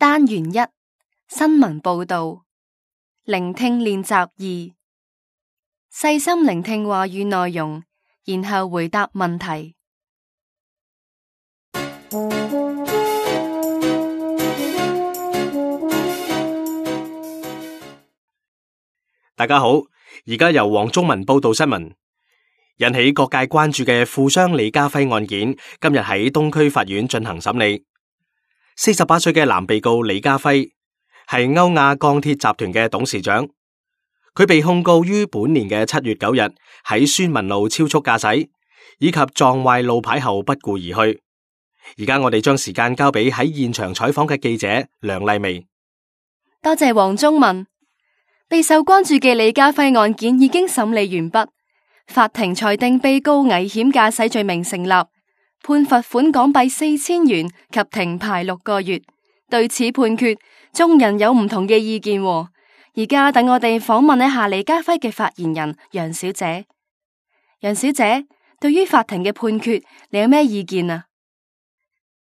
單元一新聞報道，聆聽練習2，細心聆聽話語內容，然後回答問題。大家好，而家由黃宗文報道新聞。引起各界關注嘅富商李家輝案件，今日喺東區法院進行審理。48歲嘅男被告李家輝係歐亞鋼鐵集團嘅董事長，佢被控告於本年嘅7月9日喺宣文路超速駕駛，以及撞壞路牌後不顧而去。而家我哋將時間交俾喺現場採訪嘅記者梁麗薇。多謝黃宗文。備受關注嘅李家輝案件已經審理完畢，法庭裁定被告危險駕駛罪名成立，判罰款港幣4000元及停牌6個月。對此判決，眾人有唔同嘅意見。而家等我哋訪問一下李家輝嘅發言人楊小姐。楊小姐，對於法庭嘅判決，你有咩意見啊？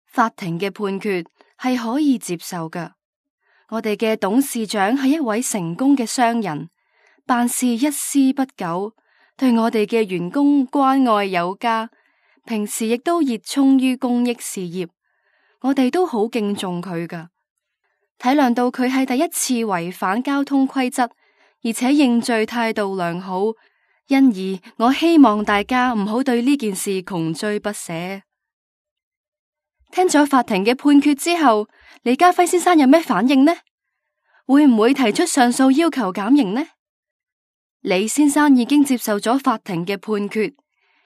法庭嘅判決係可以接受㗎。我哋嘅董事長係一位成功嘅商人，辦事一絲不苟，對我哋嘅員工關愛有加，平時亦都熱衷於公益事業，我哋都好敬重佢㗎。體諒到佢係第一次違反交通規則，而且認罪態度良好，因而我希望大家唔好對呢件事窮追不捨。聽咗法庭嘅判決之後，李家輝先生有咩反應呢？會唔會提出上訴要求減刑呢？李先生已經接受咗法庭嘅判決，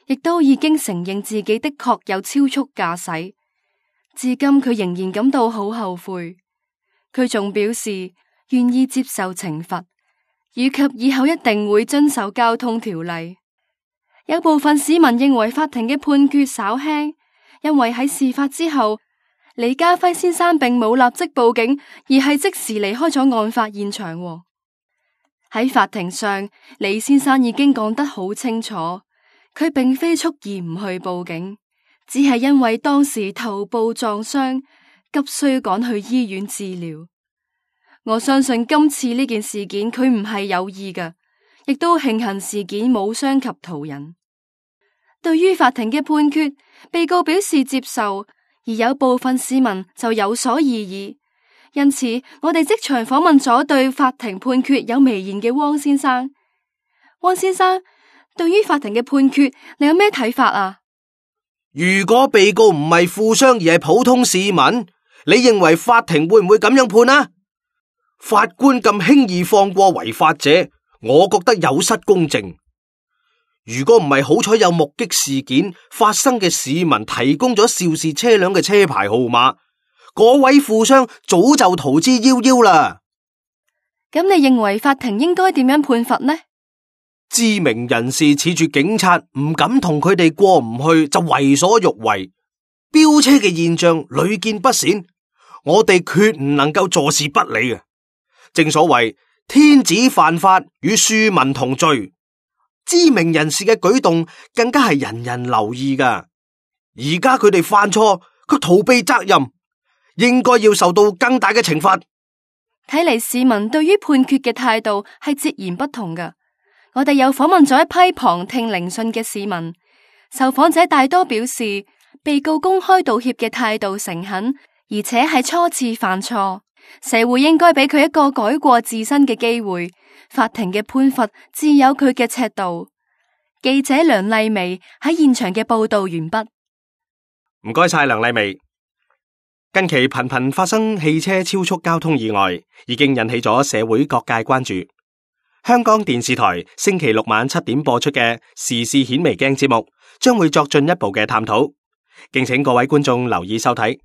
亦都已經承認自己的確有超速駕駛，至今佢仍然感到好後悔。佢仲表示願意接受懲罰，以及以後一定會遵守交通條例。有部分市民認為法庭嘅判決稍輕，因為喺事發之後，李家輝先生並冇立即報警，而係即時離開咗案發現場。喺法庭上，李先生已經講得好清楚，佢並非蓄意唔去報警，只係因為當時頭部撞傷，急需趕去醫院治療。我相信今次呢件事件佢唔係有意嘅，亦都慶幸事件冇傷及途人。對於法庭嘅判決，被告表示接受，而有部分市民就有所異議。因此，我哋即場訪問咗對法庭判決有微言嘅汪先生。汪先生，對於法庭嘅判決，你有咩睇法啊？如果被告唔係富商而係普通市民，你認為法庭會唔會咁樣判啊？法官咁輕易放過違法者，我覺得有失公正。如果唔係好彩有目擊事件發生嘅市民提供咗肇事車輛嘅車牌號碼，嗰位富商早就逃之夭夭啦。咁你認為法庭應該點樣判罰呢？知名人士恃住警察唔敢同佢哋過唔去，就為所欲為，飆車嘅現象屢見不鮮，我哋決唔能夠坐視不理嘅。正所謂天子犯法與庶民同罪，知名人士嘅舉動更加係人人留意噶。而家佢哋犯錯，佢逃避責任，應該要受到更大嘅懲罰。睇嚟市民對於判決嘅態度係截然不同噶。我哋又訪問咗一批旁聽聆訊嘅市民，受訪者大多表示，被告公開道歉嘅態度誠懇，而且係初次犯錯，社會應該俾佢一個改過自新嘅機會。法庭嘅判罰自有佢嘅尺度。記者梁麗薇喺現場嘅報道完畢。唔該晒梁麗薇。近期頻頻發生汽車超速交通意外，已經引起咗社會各界關注。香港電視台星期六晚7點播出嘅時事顯微鏡節目，將會作進一步嘅探討，敬請各位觀眾留意收睇。